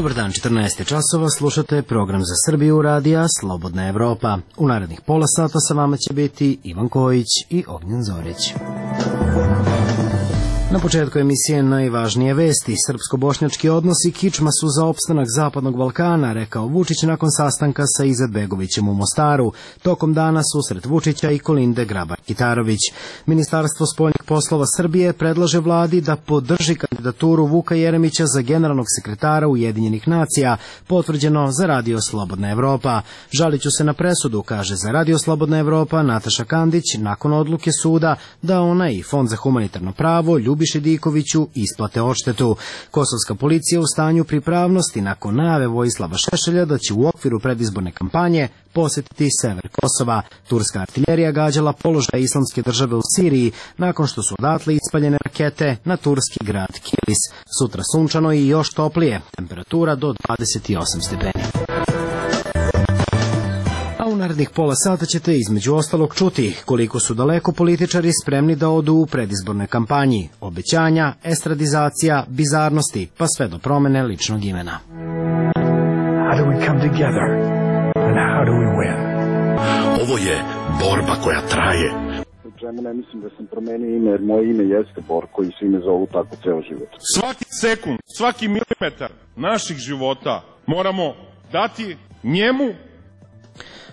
Dobar dan, 14 časova, slušate program za Srbiju radija Slobodna Evropa. U narednih pola sata sa vama će biti Ivan Kojić i Ognjen Zorić. Na početku emisije najvažnije vesti. Srpsko-bošnjački odnosi kičma su za opstanak Zapadnog Balkana, rekao Vučić nakon sastanka sa Izetbegovićem u Mostaru. Tokom dana susret Vučića i Kolinde Grabar-Kitarović. Ministarstvo spoljnih poslova Srbije predlaže vladi da podrži kandidaturu Vuka Jeremića za generalnog sekretara Ujedinjenih nacija, potvrđeno za Radio Slobodna Evropa. Žaliću se na presudu, kaže za Radio Slobodna Evropa Nataša Kandić, nakon odluke suda da ona i Fond za humanitarno pravo Ljubiši Dikoviću isplate odštetu. Kosovska policija u stanju pripravnosti nakon najave Vojislava Šešelja da će u okviru predizborne kampanje posjetiti sever Kosova. Turska artiljerija gađala položaj Islamske države u Siriji nakon što su odatle ispaljene rakete na turski grad Kilis. Sutra sunčano i još toplije, temperatura do 28 stepeni. A u narednih pola sata ćete između ostalog čuti koliko su daleko političari spremni da odu u predizbornoj kampanji. Obećanja, estradizacija, bizarnosti, pa sve do promene ličnog imena. How do we come together and how do we win? Ovo je borba koja traje. Čemu ne mislim da sam promenio ime, jer moje ime jeste Borko i svi me zovu tako ceo život. Svaki sekund, svaki milimetar naših života moramo dati njemu.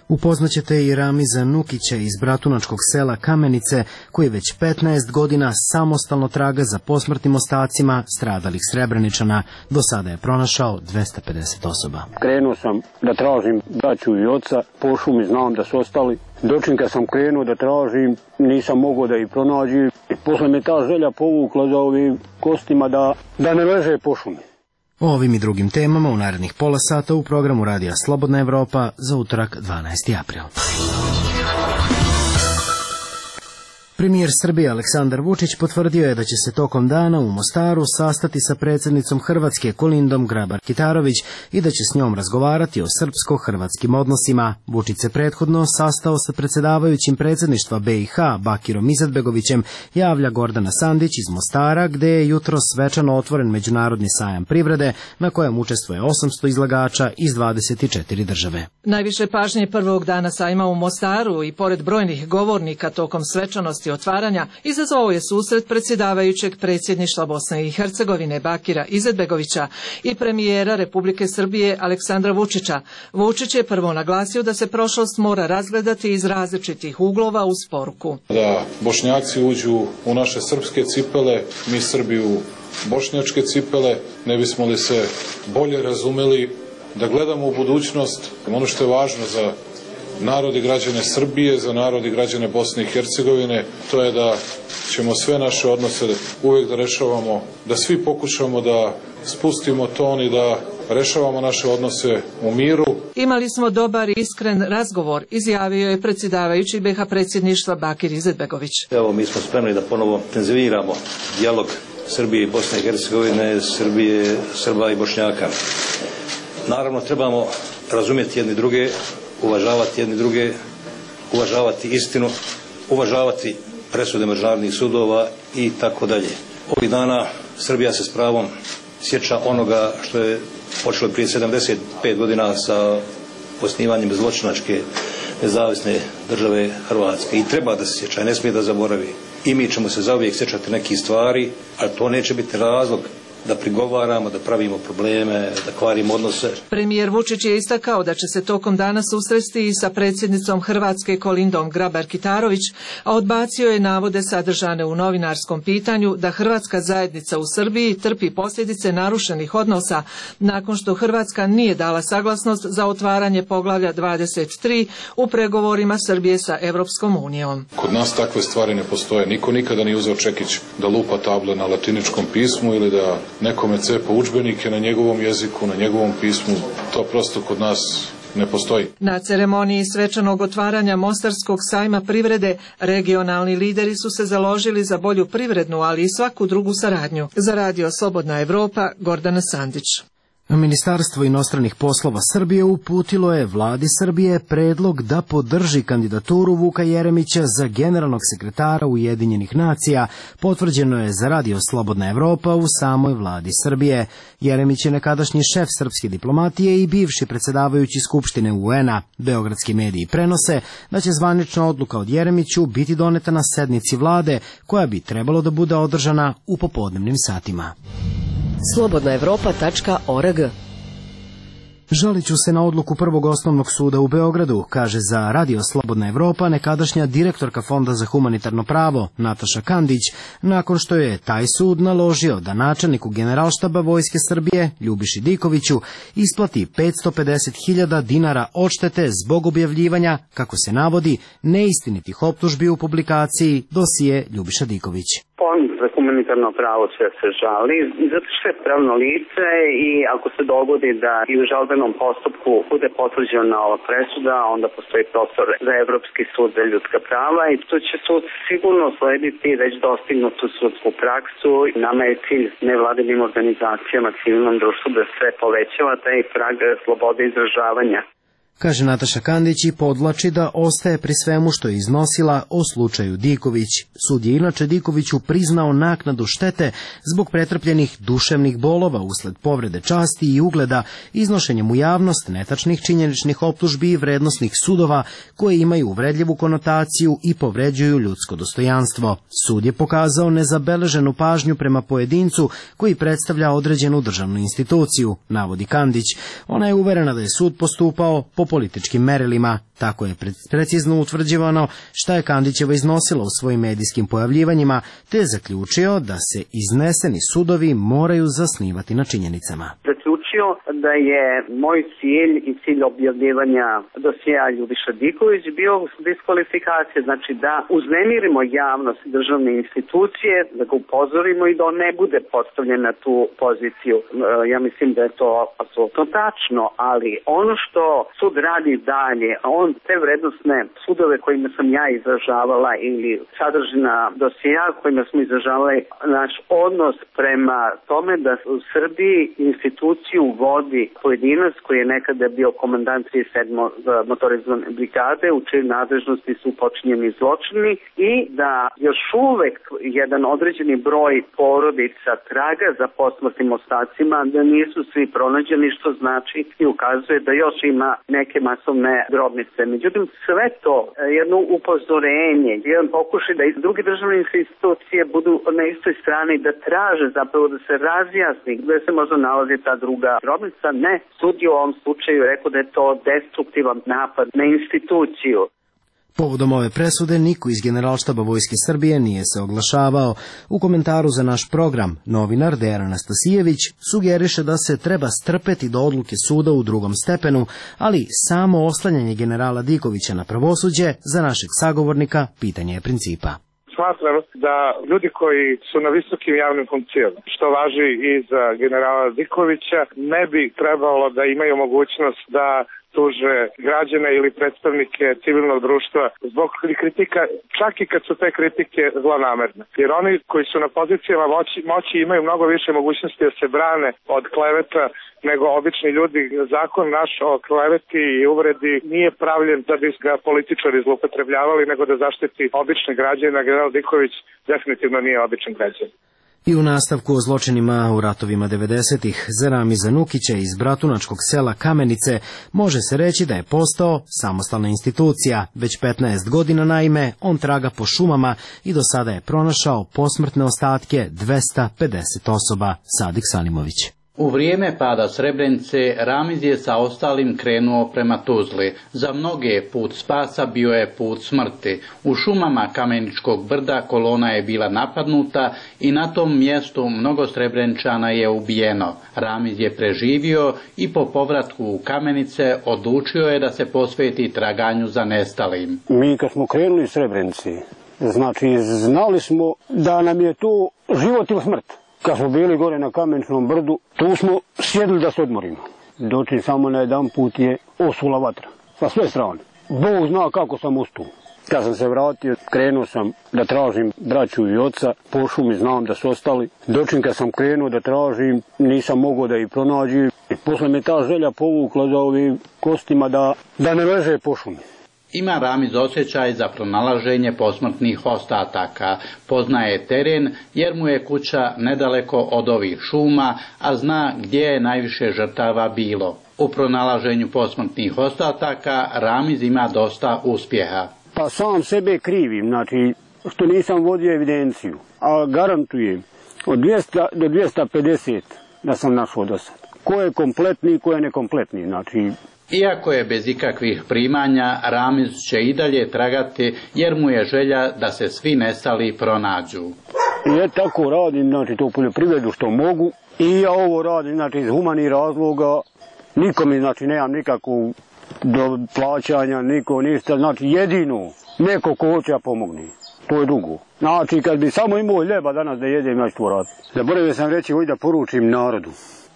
Upoznaćete i Ramiza Nukića iz bratunačkog sela Kamenice, koji već 15 godina samostalno traga za posmrtnim ostacima stradalih Srebreničana. Do sada je pronašao 250 osoba. Krenuo sam da tražim braću i oca, po šumi znam da su ostali. Dočim kad sam krenuo da tražim, nisam mogao da ih pronađem. Posle me ta želja povukla za ovim kostima da ne leže po šumi. O ovim i drugim temama u narednih pola sata u programu Radija Slobodna Evropa za utorak 12. april. Premijer Srbije Aleksandar Vučić potvrdio je da će se tokom dana u Mostaru sastati sa predsjednicom Hrvatske Kolindom Grabar-Kitarović i da će s njom razgovarati o srpsko-hrvatskim odnosima. Vučić se prethodno sastao sa predsjedavajućim predsjedništva BiH Bakirom Izetbegovićem, javlja Gordana Sandić iz Mostara, gde je jutros svečano otvoren međunarodni sajam privrede na kojem učestvuje 800 izlagača iz 24 države. Najviše pažnje prvog dana sajma u Mostaru i pored brojnih govornika tokom svečanosti otvaranja izazvao je susret predsjedavajućeg predsjedništva Bosne i Hercegovine Bakira Izetbegovića i premijera Republike Srbije Aleksandra Vučića. Vučić je prvo naglasio da se prošlost mora razgledati iz različitih uglova uz poruku. Da Bošnjaci uđu u naše srpske cipele, mi Srbi u bošnjačke cipele, ne bismo li se bolje razumeli, da gledamo u budućnost. Ono što je važno za narod i građane Srbije, za narod i građane Bosne i Hercegovine, to je da ćemo sve naše odnose uvijek da rešavamo, da svi pokušamo da spustimo ton i da rešavamo naše odnose u miru. Imali smo dobar i iskren razgovor, izjavio je predsjedavajući BiH predsjedništva Bakir Izetbegović. Evo, mi smo spremni da ponovo intenziviramo dijalog Srbije i Bosne i Hercegovine, Srbije, Srba i Bošnjaka. Naravno, trebamo razumjeti jedni druge, uvažavati jedni druge, uvažavati istinu, uvažavati presude međunarodnih sudova i tako dalje. Ovih dana Srbija se s pravom sjeća onoga što je počelo prije 75 godina sa osnivanjem zločinačke nezavisne države Hrvatske i treba da se sjeća, ne smije da zaboravi. I mi ćemo se zauvijek sjećati nekih stvari, ali to neće biti razlog da prigovaramo, da pravimo probleme, da kvarimo odnose. Premijer Vučić je istakao da će se tokom dana susresti i sa predsjednicom Hrvatske Kolindom Grabar-Kitarović, a odbacio je navode sadržane u novinarskom pitanju da hrvatska zajednica u Srbiji trpi posljedice narušenih odnosa nakon što Hrvatska nije dala saglasnost za otvaranje poglavlja 23 u pregovorima Srbije sa Evropskom unijom. Kod nas takve stvari ne postoje. Niko nikada nije uzeo čekić da lupa table na latiničkom pismu ili da nekome cepa udžbenike na njegovom jeziku, na njegovom pismu. To prosto kod nas ne postoji. Na ceremoniji svečanog otvaranja Mostarskog sajma privrede regionalni lideri su se založili za bolju privrednu, ali i svaku drugu saradnju. Za Radio Slobodna Evropa, Gordana Sandić. Ministarstvo inostranih poslova Srbije uputilo je vladi Srbije predlog da podrži kandidaturu Vuka Jeremića za generalnog sekretara Ujedinjenih nacija, potvrđeno je za Radio Slobodna Evropa u samoj vladi Srbije. Jeremić je nekadašnji šef srpske diplomatije i bivši predsjedavajući Skupštine UN-a. Beogradski mediji prenose da će zvanična odluka od Jeremiću biti doneta na sednici vlade, koja bi trebalo da bude održana u popodnevnim satima. slobodnaevropa.org. Žalit ću se na odluku Prvog osnovnog suda u Beogradu, kaže za Radio Slobodna Evropa nekadašnja direktorka Fonda za humanitarno pravo Nataša Kandić, nakon što je taj sud naložio da načelniku Generalštaba Vojske Srbije Ljubiši Dikoviću isplati 550.000 dinara odštete zbog objavljivanja, kako se navodi, neistinitih optužbi u publikaciji dosije Ljubiša Diković. Fond za humanitarno pravo će se žali, zato što je pravno lice i ako se dogodi da i u žalbenom postupku bude potvrđena ova presuda, onda postoji prostor za Evropski sud za ljudska prava i tu će sud sigurno slediti već dostignutu sudsku praksu. Nama je cilj nevladinim organizacijama, civilnom društvu da se povećava taj prag slobode izražavanja. Kaže Nataša Kandić i podvlači da ostaje pri svemu što je iznosila o slučaju Diković. Sud je inače Dikoviću priznao naknadu štete zbog pretrpljenih duševnih bolova usled povrede časti i ugleda, iznošenjem u javnost netačnih činjeničnih optužbi i vrednosnih sudova koje imaju uvredljivu konotaciju i povređuju ljudsko dostojanstvo. Sud je pokazao nezabeleženu pažnju prema pojedincu koji predstavlja određenu državnu instituciju, navodi Kandić. Ona je uverena da je sud postupao po političkim merilima. Tako je precizno utvrđivano šta je Kandićeva iznosila u svojim medijskim pojavljivanjima, te je zaključio da se izneseni sudovi moraju zasnivati na činjenicama. Zaključio da je moj cilj i cilj objavljivanja dosjea Ljubiša Diković bio diskvalifikacija, znači da uznemirimo javnost i državne institucije, da ga upozorimo i da on ne bude postavljen na tu poziciju. Ja mislim da je to apsolutno tačno, ali ono što sud radi dalje, on te vrednostne sudove kojima sam ja izražavala ili sadržina dosija kojima smo izražavali naš odnos prema tome da u Srbiji instituciju vodi pojedinac koji je nekada bio komandant 37. motorizovane brigade, u čijoj nadležnosti su počinjeni zločini i da još uvek jedan određeni broj porodica traga za posmrtnim ostacima, da nisu svi pronađeni, što znači i ukazuje da još ima neke masovne grobnice. Međutim, sve to jedno upozorenje, jedan pokušaj da i druge državne institucije budu na istoj strani, da traže zapravo da se razjasni gde se možda nalazi ta druga grobnica. Ne, sud je u ovom slučaju rekao da je to destruktivan napad na instituciju. Povodom ove presude niko iz Generalštaba Vojske Srbije nije se oglašavao. U komentaru za naš program novinar Dejan Anastasijević sugeriše da se treba strpeti do odluke suda u drugom stepenu, ali samo oslanjanje generala Dikovića na pravosuđe za našeg sagovornika pitanje je principa. Smatram da ljudi koji su na visokim javnim funkcijama, što važi i za generala Dikovića, ne bi trebalo da imaju mogućnost da tuže građane ili predstavnike civilnog društva zbog kritika, čak i kad su te kritike zlonamerne. Jer oni koji su na pozicijama moći imaju mnogo više mogućnosti da se brane od kleveta nego obični ljudi. Zakon naš o kleveti i uvredi nije pravljen da bi ga političari zloupotrebljavali, nego da zaštiti obične građane. General Diković definitivno nije običan građan. I u nastavku o zločinima u ratovima 90-ih za Ramiza Nukića iz bratunačkog sela Kamenice može se reći da je postao samostalna institucija. Već 15 godina naime on traga po šumama i do sada je pronašao posmrtne ostatke 250 osoba. Sadik Salimović. U vrijeme pada Srebrenice, Ramiz je sa ostalim krenuo prema Tuzli. Za mnoge put spasa bio je put smrti. U šumama Kameničkog brda kolona je bila napadnuta i na tom mjestu mnogo Srebreničana je ubijeno. Ramiz je preživio i po povratku u Kamenice odlučio je da se posveti traganju za nestalim. Mi kad smo krenuli iz Srebrenice, znači znali smo da nam je to život ili smrt. Kad smo bili gore na Kameničnom brdu, tu smo sjedili da se odmorimo. Dočim samo na jedan put je osula vatra. Sa sve strane. Bog zna kako sam ustao. Kad sam se vratio, krenuo sam da tražim braću i oca, po šumi znam da su ostali. Dočim kad sam krenuo da tražim, nisam mogao da ih pronađem. Posle me ta želja povukla za ovim kostima da ne leže po šumi. Ima Ramiz osjećaj za pronalaženje posmrtnih ostataka. Poznaje teren jer mu je kuća nedaleko od ovih šuma, a zna gdje je najviše žrtava bilo. U pronalaženju posmrtnih ostataka Ramiz ima dosta uspjeha. Pa sam sebe krivim, znači što nisam vodio evidenciju, a garantujem od 200 do 250 da sam našao do sad. Ko je kompletni, ko je nekompletni, znači... Iako je bez ikakvih primanja, Ramiz će i dalje tragati jer mu je želja da se svi nestali pronađu. Ja tako radim, znači to u poljoprivredu što mogu i ja ovo radim, znači iz humanih razloga, nikom znači nemam nikakvu do plaćanja, niko ništa, znači jedino neko ko hoće pomogne, to je drugo. Znači kad bi samo imao ljeba danas da jedem, ja ću to raditi. Zaboravio sam reći ovdje da poručim narodu,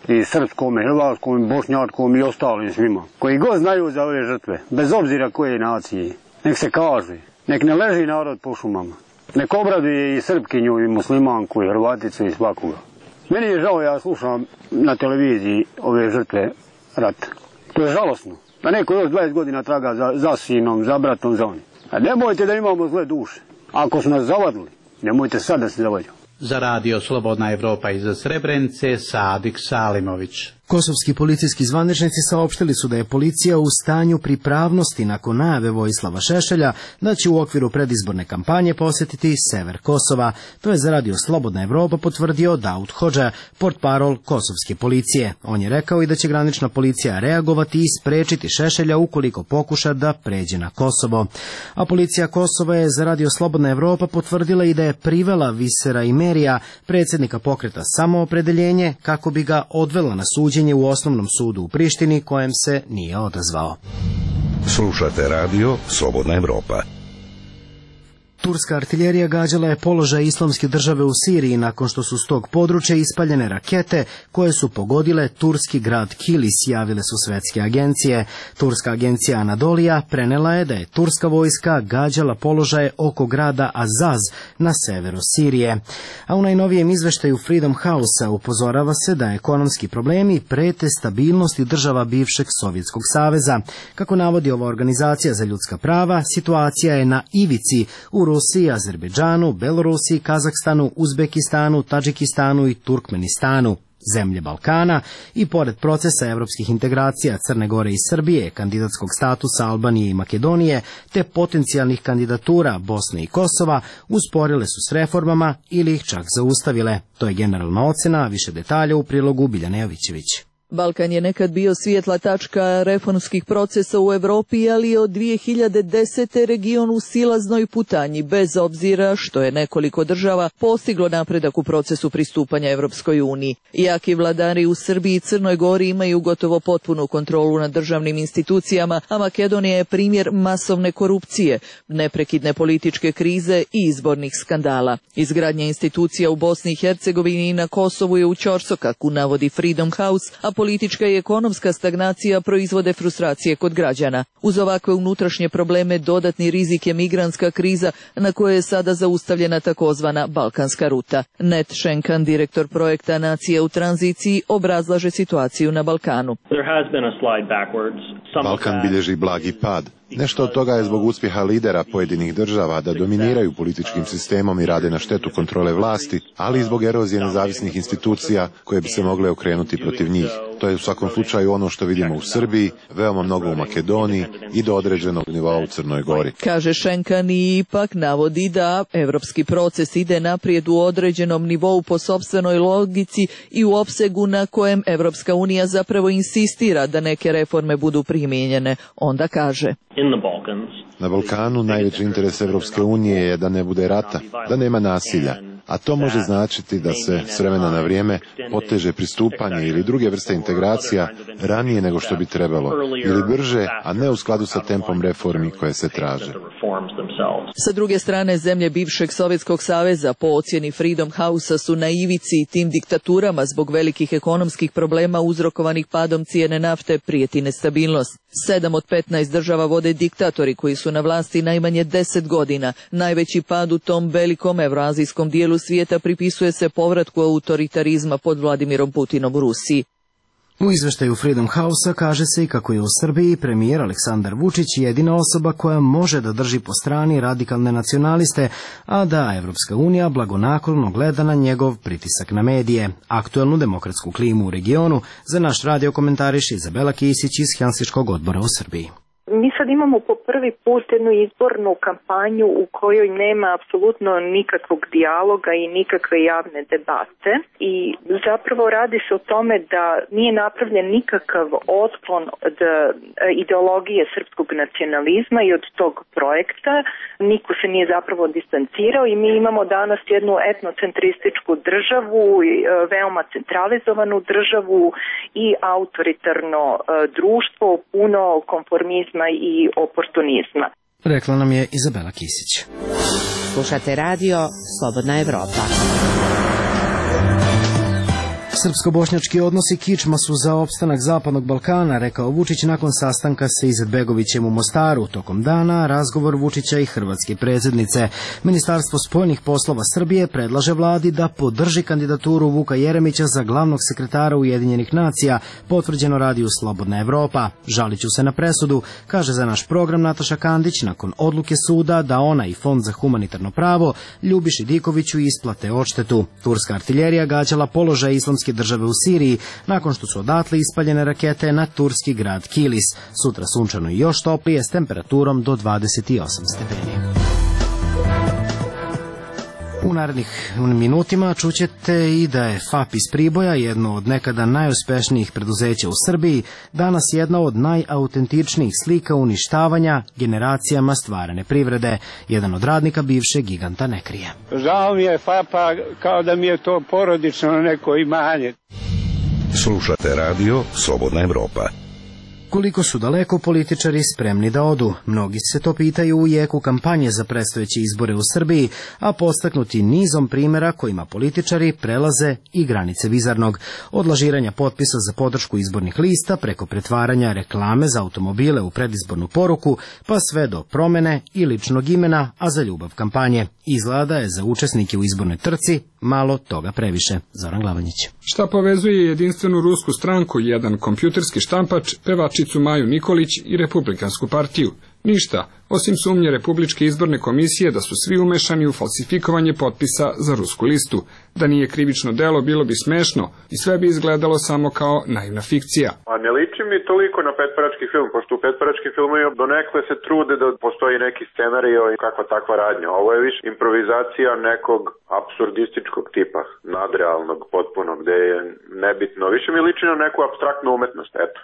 i srpskom, i hrvatskom, i bošnjačkom i ostalim svima, koji god znaju za ove žrtve, bez obzira koje nacije, nek se kaže, nek ne leži narod po šumama, nek obraduje i Srpkinju, i muslimanku, i Hrvaticu, i svakoga. Meni je žao, ja slušam na televiziji ove žrtve rata. To je žalosno, da neko još 20 godina traga za sinom, za bratom, za onim. A nemojte da imamo zle duše. Ako su nas zavadili, nemojte sad da se zavadimo. Za radio Slobodna Evropa iz Srebrenice, Sadik Salimović. Kosovski policijski zvaničnici saopštili su da je policija u stanju pripravnosti nakon najave Vojislava Šešelja da će u okviru predizborne kampanje posjetiti sever Kosova. To je za radio Slobodna Evropa potvrdio Daud Hodža, portparol kosovske policije. On je rekao i da će granična policija reagovati i sprečiti Šešelja ukoliko pokuša da pređe na Kosovo. A policija Kosova je za radio Slobodna Evropa potvrdila i da je privela Visera Imerija, predsjednika pokreta Samoopredeljenje, kako bi ga odvela na suđenje u osnovnom sudu u Prištini, kojem se nije odazvao. Slušate radio Slobodna Evropa. Turska artiljerija gađala je položaj Islamske države u Siriji nakon što su s tog područja ispaljene rakete koje su pogodile turski grad Kilis, javile su svetske agencije. Turska agencija Anadolija prenela je da je turska vojska gađala položaje oko grada Azaz na severu Sirije. A u najnovijem izveštaju Freedom House-a upozorava se da ekonomski problemi prete stabilnosti država bivšeg Sovjetskog saveza. Kako navodi ova organizacija za ljudska prava, situacija je na ivici u Rusiji, Azerbejdžanu, Belorusiji, Kazahstanu, Uzbekistanu, Tadžikistanu i Turkmenistanu, zemlje Balkana, i pored procesa evropskih integracija Crne Gore i Srbije, kandidatskog statusa Albanije i Makedonije, te potencijalnih kandidatura Bosne i Kosova, usporile su s reformama ili ih čak zaustavile. To je generalna ocena, više detalja u prilogu Biljane Jovićević. Balkan je nekad bio svijetla tačka reformskih procesa u Europi, ali je od 2010. region u silaznoj putanji, bez obzira što je nekoliko država postiglo napredak u procesu pristupanja Evropskoj uniji. Jaki vladari u Srbiji i Crnoj Gori imaju gotovo potpunu kontrolu nad državnim institucijama, a Makedonija je primjer masovne korupcije, neprekidne političke krize i izbornih skandala. Izgradnja institucija u Bosni i Hercegovini i na Kosovu je u ćorsokaku, navodi Freedom House, a politička i ekonomska stagnacija proizvode frustracije kod građana. Uz ovakve unutrašnje probleme dodatni rizik je migrantska kriza na kojoj je sada zaustavljena takozvana Balkanska ruta. Net Schenkan, direktor projekta Nacije u tranziciji, obrazlaže situaciju na Balkanu. Balkan bilježi blagi pad. Nešto od toga je zbog uspjeha lidera pojedinih država da dominiraju političkim sistemom i rade na štetu kontrole vlasti, ali i zbog erozije nezavisnih institucija koje bi se mogle okrenuti protiv njih. To je u svakom slučaju ono što vidimo u Srbiji, veoma mnogo u Makedoniji i do određenog nivoa u Crnoj Gori. Kaže Schenkan i ipak navodi da evropski proces ide naprijed u određenom nivou po sopstvenoj logici i u opsegu na kojem Evropska unija zapravo insistira da neke reforme budu primijenjene. Onda kaže: Na Balkanu najveći interes Evropske unije je da ne bude rata, da nema nasilja, a to može značiti da se s vremena na vrijeme poteže pristupanje ili druge vrste integracija ranije nego što bi trebalo, ili brže, a ne u skladu sa tempom reformi koje se traže. reforms themselves. Sa druge strane, zemlje bivšeg Sovjetskog saveza po ocjeni Freedom House-a su na ivici i tim diktaturama zbog velikih ekonomskih problema uzrokovanih padom cijene nafte prijeti nestabilnost. 7 od 15 država vode diktatori koji su na vlasti najmanje 10 godina. Najveći pad u tom velikom evroazijskom dijelu svijeta pripisuje se povratku autoritarizma pod Vladimirom Putinom u Rusiji. U izveštaju Freedom House-a kaže se i kako je u Srbiji premijer Aleksandar Vučić jedina osoba koja može da drži po strani radikalne nacionaliste, a da Evropska unija blagonaklono gleda na njegov pritisak na medije. Aktuelnu demokratsku klimu u regionu za naš radio komentariše Izabela Kisić iz Helsinškog odbora u Srbiji. Mi sad imamo po prvi put jednu izbornu kampanju u kojoj nema apsolutno nikakvog dijaloga i nikakve javne debate i zapravo radi se o tome da nije napravljen nikakav otklon od ideologije srpskog nacionalizma i od tog projekta. Niko se nije zapravo distancirao i mi imamo danas jednu etnocentrističku državu, veoma centralizovanu državu i autoritarno društvo, puno konformizma i oportunizma. Rekla nam je Izabela Kisić. Slušate radio Slobodna Evropa. Srpsko-bošnjački odnosi kičma su za opstanak Zapadnog Balkana, rekao Vučić nakon sastanka sa Izetbegovićem u Mostaru. Tokom dana razgovor Vučića i hrvatske predsjednice. Ministarstvo spoljnih poslova Srbije predlaže vladi da podrži kandidaturu Vuka Jeremića za glavnog sekretara Ujedinjenih nacija, potvrđeno radiju Slobodna Evropa. Žalit ću se na presudu, kaže za naš program Nataša Kandić, nakon odluke suda da ona i Fond za humanitarno pravo Ljubiši Dikoviću isplate odštetu. Turska artiljerija gađala položaj islamske države u Siriji nakon što su odatle ispaljene rakete na turski grad Kilis. Sutra sunčano i još toplije s temperaturom do 28 stepeni. U narednih minutima čućete i da je FAP iz Priboja, jedno od nekada najuspešnijih preduzeća u Srbiji, danas jedna od najautentičnijih slika uništavanja generacijama stvarane privrede. Jedan od radnika bivšeg giganta ne krije. Žao mi je FAP-a, kao da mi je to porodično neko imanje. Slušate radio Slobodna Evropa. Koliko su daleko političari spremni da odu? Mnogi se to pitaju u jeku kampanje za predstojeće izbore u Srbiji, a podstaknuti nizom primjera kojima političari prelaze i granice vizarnog. Od lažiranja potpisa za podršku izbornih lista, preko pretvaranja reklame za automobile u predizbornu poruku, pa sve do promene i ličnog imena, a za ljubav kampanje. Izgleda je za učesnike u izbornoj trci malo toga previše. Zoran Glavanjić. Šta povezuje jedinstvenu rusku stranku, jedan kompjuterski štampač, pevačicu Maju Nikolić i Republikansku partiju? Ništa, osim sumnje Republičke izborne komisije da su svi umešani u falsifikovanje potpisa za rusku listu. Da nije krivično delo, bilo bi smešno i sve bi izgledalo samo kao naivna fikcija. A ne liči mi toliko na petparački film, pošto u petparačkim filmovima donekle se trude da postoji neki scenario i kakva takva radnja. Ovo je više improvizacija nekog apsurdističkog tipa, nadrealnog potpuno, gde je nebitno. Više mi liči na neku apstraktnu umetnost, eto.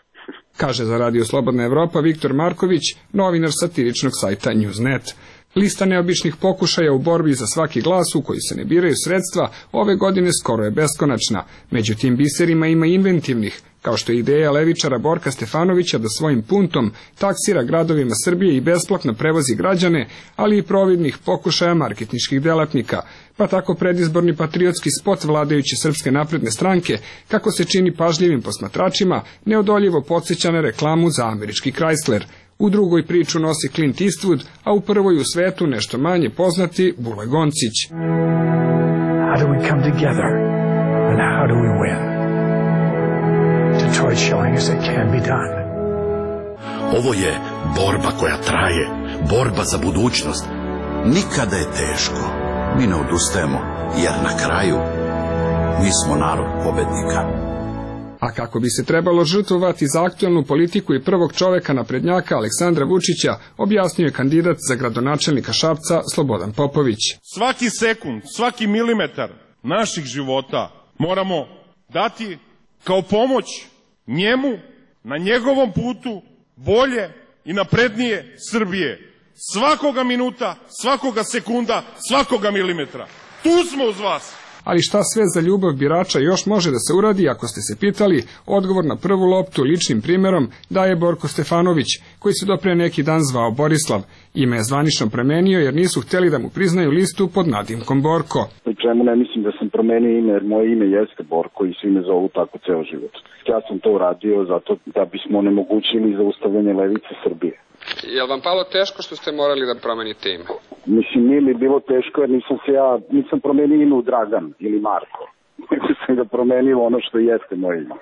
Kaže za Radio Slobodna Evropa Viktor Marković, novinar satiričnog sajta Newsnet. Lista neobičnih pokušaja u borbi za svaki glas u koji se ne biraju sredstva ove godine skoro je beskonačna. Među tim biserima ima inventivnih, kao što je ideja levičara Borka Stefanovića da svojim puntom taksira gradovima Srbije i besplatno prevozi građane, ali i providnih pokušaja marketinških delatnika. Pa tako predizborni patriotski spot vladajuće Srpske napredne stranke, kako se čini pažljivim posmatračima, neodoljivo podsjeća na reklamu za američki Chrysler. U drugoj priču nosi Clint Eastwood, a u prvoj u svetu nešto manje poznati Bule Goncić. How do we come together and how do we win? Detroit showing us it can be done. Ovo je borba koja traje, borba za budućnost. Nikada je teško, mi ne odustajemo, jer na kraju mi smo narod pobednika. A kako bi se trebalo žrtvovati za aktuelnu politiku i prvog čoveka naprednjaka Aleksandra Vučića, objasnio je kandidat za gradonačelnika Šapca Slobodan Popović. Svaki sekund, svaki milimetar naših života moramo dati kao pomoć njemu na njegovom putu bolje i naprednije Srbije. Svakoga minuta, svakoga sekunda, svakoga milimetra. Tu smo uz vas. ali šta sve za ljubav birača još može da se uradi, ako ste se pitali, odgovor na prvu loptu ličnim primjerom daje Borko Stefanović, koji se do pre neki dan zvao Borislav. Ime je zvanično promenio jer nisu htjeli da mu priznaju listu pod nadimkom Borko. U čemu ne mislim da sam promenio ime, jer moje ime jeste Borko i svi me zovu tako ceo život. Ja sam to uradio zato da bismo onemogućili zaustavljanje levice Srbije. Je li vam palo teško što ste morali da promenite ime? Mislim, nije mi bilo teško jer nisam promenio ime u Dragan ili Marko. Sam ga promenio ono što jeste moje ime.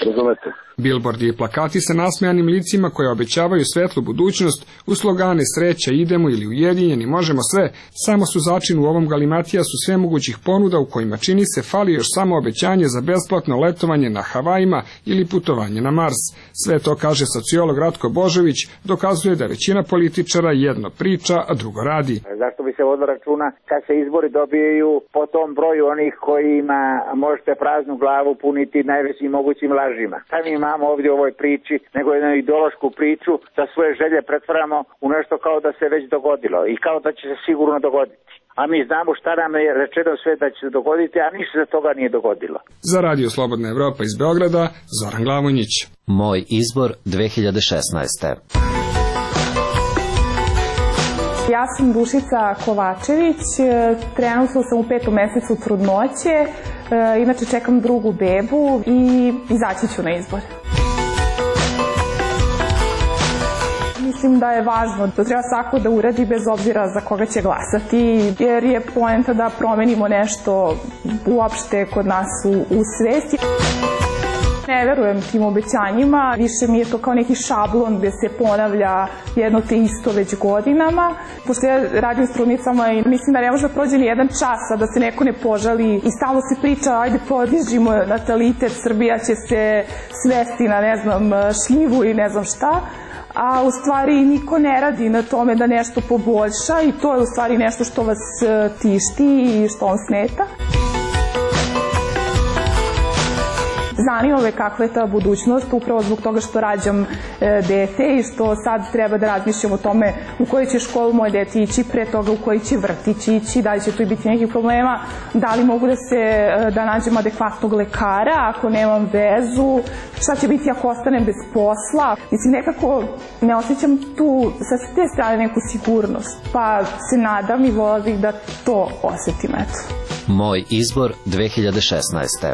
Razumete? Bilbordi i plakati sa nasmejanim licima koje obećavaju svetlu budućnost, u slogane sreća idemo ili ujedinjeni možemo sve, samo su začin u ovom galimatijasu sve mogućih ponuda u kojima čini se fali još samo obećanje za besplatno letovanje na Havajima ili putovanje na Mars. Sve to, kaže sociolog Ratko Božović, dokazuje da većina političara jedno priča, a drugo radi. Zašto bi se vodilo računa kad se izbori dobijaju po tom broju onih kojima možete praznu glavu puniti najvećim mogućim lažima? Šta mi imamo ovdje u ovoj priči, nego jednu ideološku priču da svoje želje pretvaramo u nešto kao da se već dogodilo i kao da će se sigurno dogoditi. A mi znamo šta nam je rečeno sve da će se dogoditi, a ništa za toga nije dogodilo. Za Radio Slobodna Evropa iz Beograda, Zoran Glavonjić. Moj izbor 2016. Ja sam Dušica Kovačević, trenutno sam u 5. mesecu trudnoće, inače čekam drugu bebu i izaći ću na izbor. Mislim da je važno da treba svako da uradi bez obzira za koga će glasati, jer je poenta da promenimo nešto uopšte kod nas u svesti. Ne verujem tim obećanjima, više mi je to kao neki šablon gdje se ponavlja jedno te isto već godinama. Pošto ja radim s trudnicama i mislim da ne može da prođe ni jedan čas, a da se neko ne požali i stalno se priča, ajde podižimo natalitet, Srbija će se svesti na ne znam šljivu i ne znam šta. A u stvari niko ne radi na tome da nešto poboljša i to je u stvari nešto što vas tišti i što vam smeta. Zanima me kakva je ta budućnost, upravo zbog toga što rađam dete i što sad treba da razmišljam o tome u koju će školu moje dete ići, pre toga u koji će vrtić ići, da li će tu biti nekih problema, da li mogu da nađem adekvatnog lekara ako nemam vezu, šta će biti ako ostanem bez posla. Mislim, nekako ne osjećam tu sa te strane neku sigurnost, pa se nadam i vola bih da to osjetim, eto. Moj izbor 2016.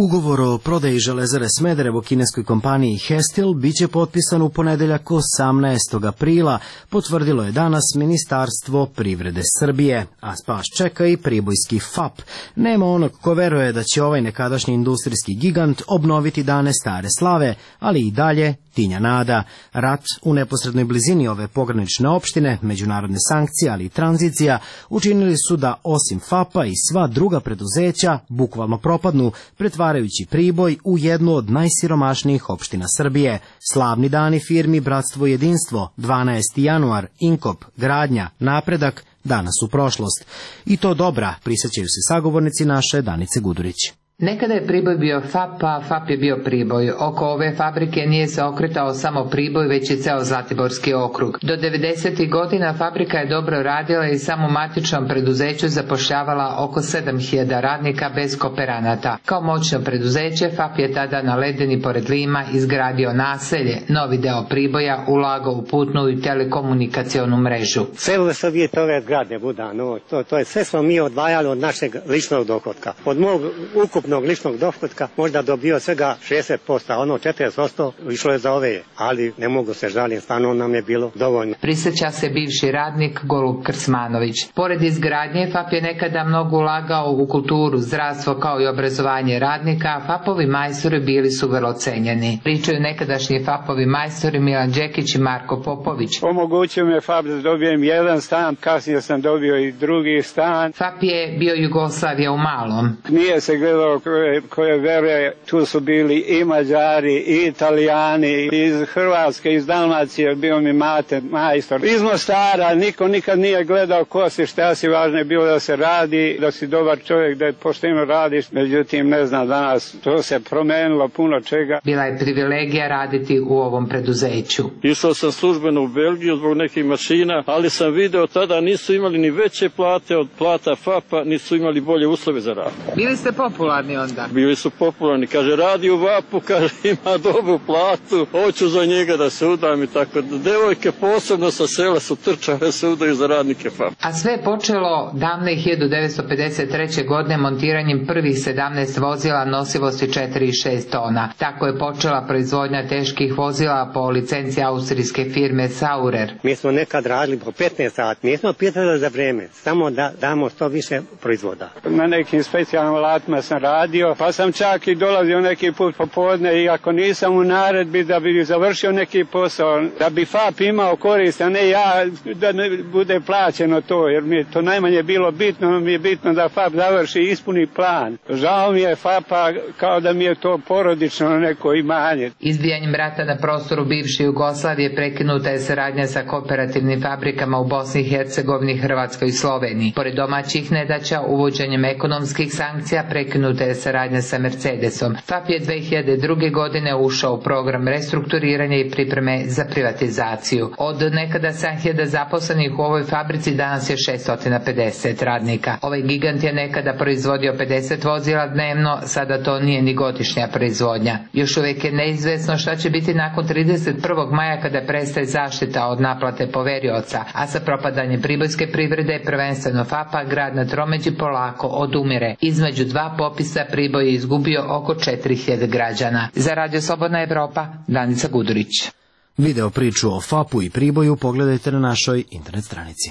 Ugovor o prodaji železare Smederevo kineskoj kompaniji Hestil biće potpisan u ponedeljak 18. aprila, potvrdilo je danas Ministarstvo privrede Srbije, a spas čeka i pribojski FAP. Nema onog ko veruje da će ovaj nekadašnji industrijski gigant obnoviti dane stare slave, ali i dalje tinja nada. Rat u neposrednoj blizini ove pogranične opštine, međunarodne sankcije, ali i tranzicija učinili su da osim FAP-a i sva druga preduzeća bukvalno propadnu, pretvarajući Priboj u jednu od najsiromašnijih opština Srbije. Slavni dani firmi Bratstvo i jedinstvo, 12. januar, Inkop, Gradnja, Napredak, danas u prošlost. I to dobra, prisjećaju se sagovornici naše Danice Gudurić. Nekada je Priboj bio FAP, a FAP je bio Priboj. Oko ove fabrike nije se okretao samo Priboj, već i ceo Zlatiborski okrug. Do 90. godina fabrika je dobro radila i samo matičnom preduzeću zapošljavala oko 7000 radnika bez kooperanata. Kao moćno preduzeće, FAP je tada na Ledeni pored Lima izgradio naselje, novi deo Priboja, ulagao u putnu i telekomunikacionu mrežu. Sve su dvije ove zgrade, Budano, to je sve smo mi odvajali od našeg ličnog dohotka. Od mog ukupnog ličnog dohotka možda dobio svega 60%, a ono 40% išlo je za ove, ali ne mogu se žaliti, stvarno nam je bilo dovoljno. Prisjeća se bivši radnik Golub Krsmanović. Pored izgradnje, FAP je nekada mnogo ulagao u kulturu, zdravstvo kao i obrazovanje radnika, a FAP-ovi majstori bili su vrlo cenjeni. Pričaju nekadašnji FAP-ovi majstori Milan Đekić i Marko Popović. Omogućio mi je FAP da dobijem jedan stan, kasnije sam dobio i drugi stan. FAP je bio Jugoslavija u malom. Nije se gledalo bilo koje vere, tu su bili i Mađari, i Italijani, iz Hrvatske, iz Dalmacije, bio mi mate, majstor. Iz Mostara, niko nikad nije gledao ko si, šta si, važno je bilo da se radi, da si dobar čovjek, da pošteno radiš, međutim ne znam danas, to se promenilo puno čega. Bila je privilegija raditi u ovom preduzeću. Išao sam službeno u Belgiju zbog nekih mašina, ali sam video tada nisu imali ni veće plate od plata FAP-a, nisu imali bolje uslove za rad. Bili ste popularni onda? Bili su popularni, kaže radi u VAP-u, kaže ima dobru platu, hoću za njega da se udam i tako. Devojke posebno sa sela su trčale se udaju za radnike FAP. A sve je počelo davne 1953. godine montiranjem prvih 17 vozila nosivosti 4 i 6 tona. Tako je počela proizvodnja teških vozila po licenciji austrijske firme Saurer. Mi smo nekad radili po 15 sati, nismo pitali za vreme, samo da damo što više proizvoda. Na nekim specijalnim alatima sam radio, pa sam čak i dolazio neki put popodne i ako nisam u naredbi da bi završio neki posao, da bi FAP imao korist, a ne ja, da ne bude plaćeno to, jer mi je to najmanje bilo bitno, mi je bitno da FAP završi i ispuni plan. Žao mi je FAP-a kao da mi je to porodično neko imanje. Izbijanjem rata na prostoru bivše Jugoslavije prekinuta je saradnja sa kooperativnim fabrikama u Bosni i Hercegovini, Hrvatskoj i Sloveniji. Pored domaćih nedaća, uvođenjem ekonomskih sankcija prekinuta je saradnja sa Mercedesom. FAP je 2002. godine ušao u program restrukturiranja i pripreme za privatizaciju. Od nekada 7.000 zaposlenih u ovoj fabrici danas je 650 radnika. Ovaj gigant je nekada proizvodio 50 vozila dnevno, sada to nije ni godišnja proizvodnja. Još uvijek je neizvesno šta će biti nakon 31. maja kada prestaje zaštita od naplate poverioca, a sa propadanjem pribojske privrede, prvenstveno FAP-a, grad na tromeđi polako odumire. Između dva popisa Priboj je izgubio oko 4.000 građana. Za Radio Slobodna Evropa, Danica Gudurić. Video priču o FAP-u i Priboju pogledajte na našoj internet stranici.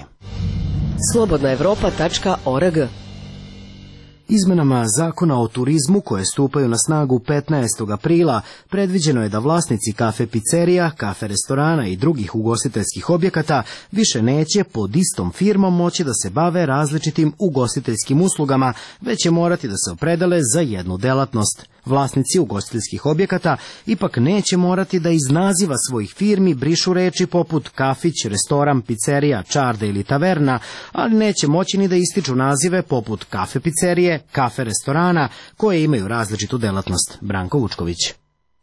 slobodnaevropa.org. Izmenama zakona o turizmu koje stupaju na snagu 15. aprila predviđeno je da vlasnici kafe pizzerija, kafe restorana i drugih ugostiteljskih objekata više neće pod istom firmom moći da se bave različitim ugostiteljskim uslugama, već će morati da se opredele za jednu delatnost. Vlasnici ugostiteljskih objekata ipak neće morati da iz naziva svojih firmi brišu reči poput kafić, restoran, pizzerija, čarda ili taverna, ali neće moći ni da ističu nazive poput kafe pizzerije, kafe restorana, koje imaju različitu delatnost. Branko Vučković.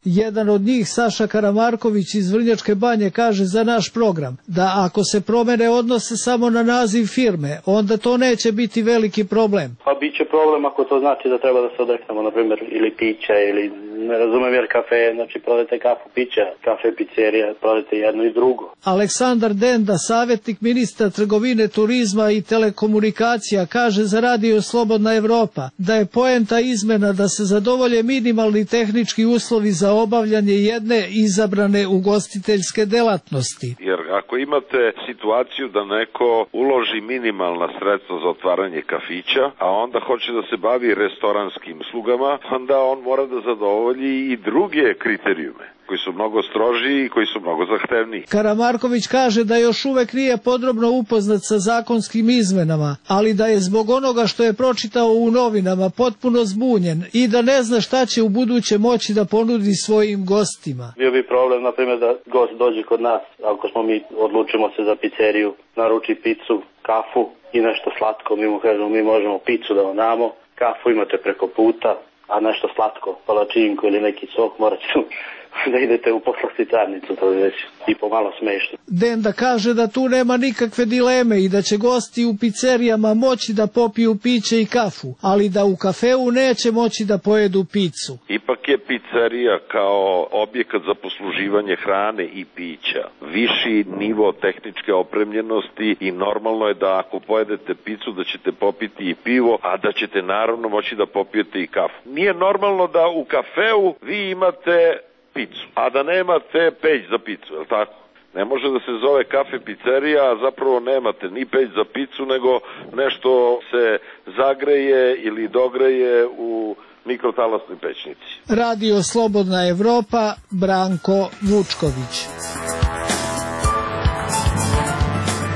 Jedan od njih, Saša Karamarković iz Vrnjačke Banje, kaže za naš program da ako se promene odnose samo na naziv firme, onda to neće biti veliki problem. Pa bit će problem ako to znači da treba da se odreknemo, na primjer, ili pića, ili ne razumem jer kafe, znači prodajte kafu pića, kafe pizzerija, prodajte jedno i drugo. Aleksandar Denda, savjetnik ministra trgovine, turizma i telekomunikacija, kaže za Radio Slobodna Evropa da je poenta izmena da se zadovolje minimalni tehnički uslovi za obavljanje jedne izabrane ugostiteljske delatnosti. Jer ako imate situaciju da neko uloži minimalna sredstva za otvaranje kafića, a onda hoće da se bavi restoranskim uslugama, onda on mora da zadovolji i druge kriterijume koji su mnogo strožiji i koji su mnogo zahtevniji. Karamarković kaže da još uvek nije podrobno upoznat sa zakonskim izmenama, ali da je zbog onoga što je pročitao u novinama potpuno zbunjen i da ne zna šta će u buduće moći da ponudi svojim gostima. Bio bi problem, na primjer, da gost dođe kod nas, ako smo mi odlučimo se za pizzeriju, naruči picu, kafu i nešto slatko, mi mu kažemo mi možemo picu da vam damo, kafu imate preko puta, a nešto slatko, palačinku ili neki sok, morat ću da idete u poslastičarnicu, to je već i pomalo smešno. Denda kaže da tu nema nikakve dileme i da će gosti u pizzerijama moći da popiju piće i kafu, ali da u kafeu neće moći da pojedu picu. Ipak je pizzerija kao objekat za posluživanje hrane i pića viši nivo tehničke opremljenosti i normalno je da ako pojedete picu da ćete popiti i pivo, a da ćete naravno moći da popijete i kafu. Nije normalno da u kafeu vi imate picu, a da nemate peć za picu, je li tako? Ne može da se zove kafe pizzerija, a zapravo nemate ni peć za picu, nego nešto se zagreje ili dogreje u mikrotalasnoj pećnici. Radio Slobodna Evropa, Branko Vučković.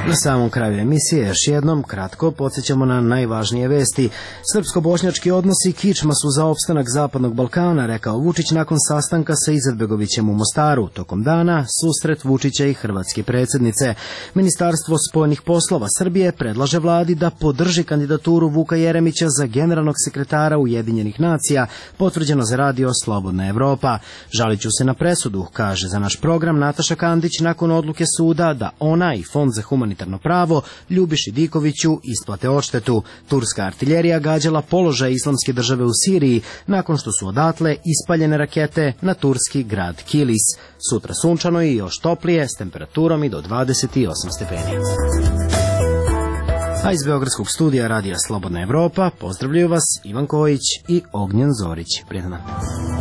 Na samom kraju emisije još jednom kratko podsjećamo na najvažnije vesti. Srpsko-bošnjački odnosi kičma su za opstanak Zapadnog Balkana, rekao Vučić nakon sastanka sa Izetbegovićem u Mostaru. Tokom dana susret Vučića i hrvatske predsjednice. Ministarstvo spoljnih poslova Srbije predlaže vladi da podrži kandidaturu Vuka Jeremića za generalnog sekretara Ujedinjenih nacija, potvrđeno za radio Slobodna Evropa. Žalit ću se na presudu, kaže za naš program Nataša Kandić nakon odluke suda da ona i Fond za humanitarno pravo Ljubiši Dikoviću isplate odštetu. Turska artiljerija gađala položaj Islamske države u Siriji nakon što su odatle ispaljene rakete na turski grad Kilis. Sutra sunčano i još toplije s temperaturom i do 28 stepeni. A iz Beogradskog studija radija Slobodna Evropa pozdravljaju vas Ivan Kojić i Ognjen Zorić. Prijetan dan.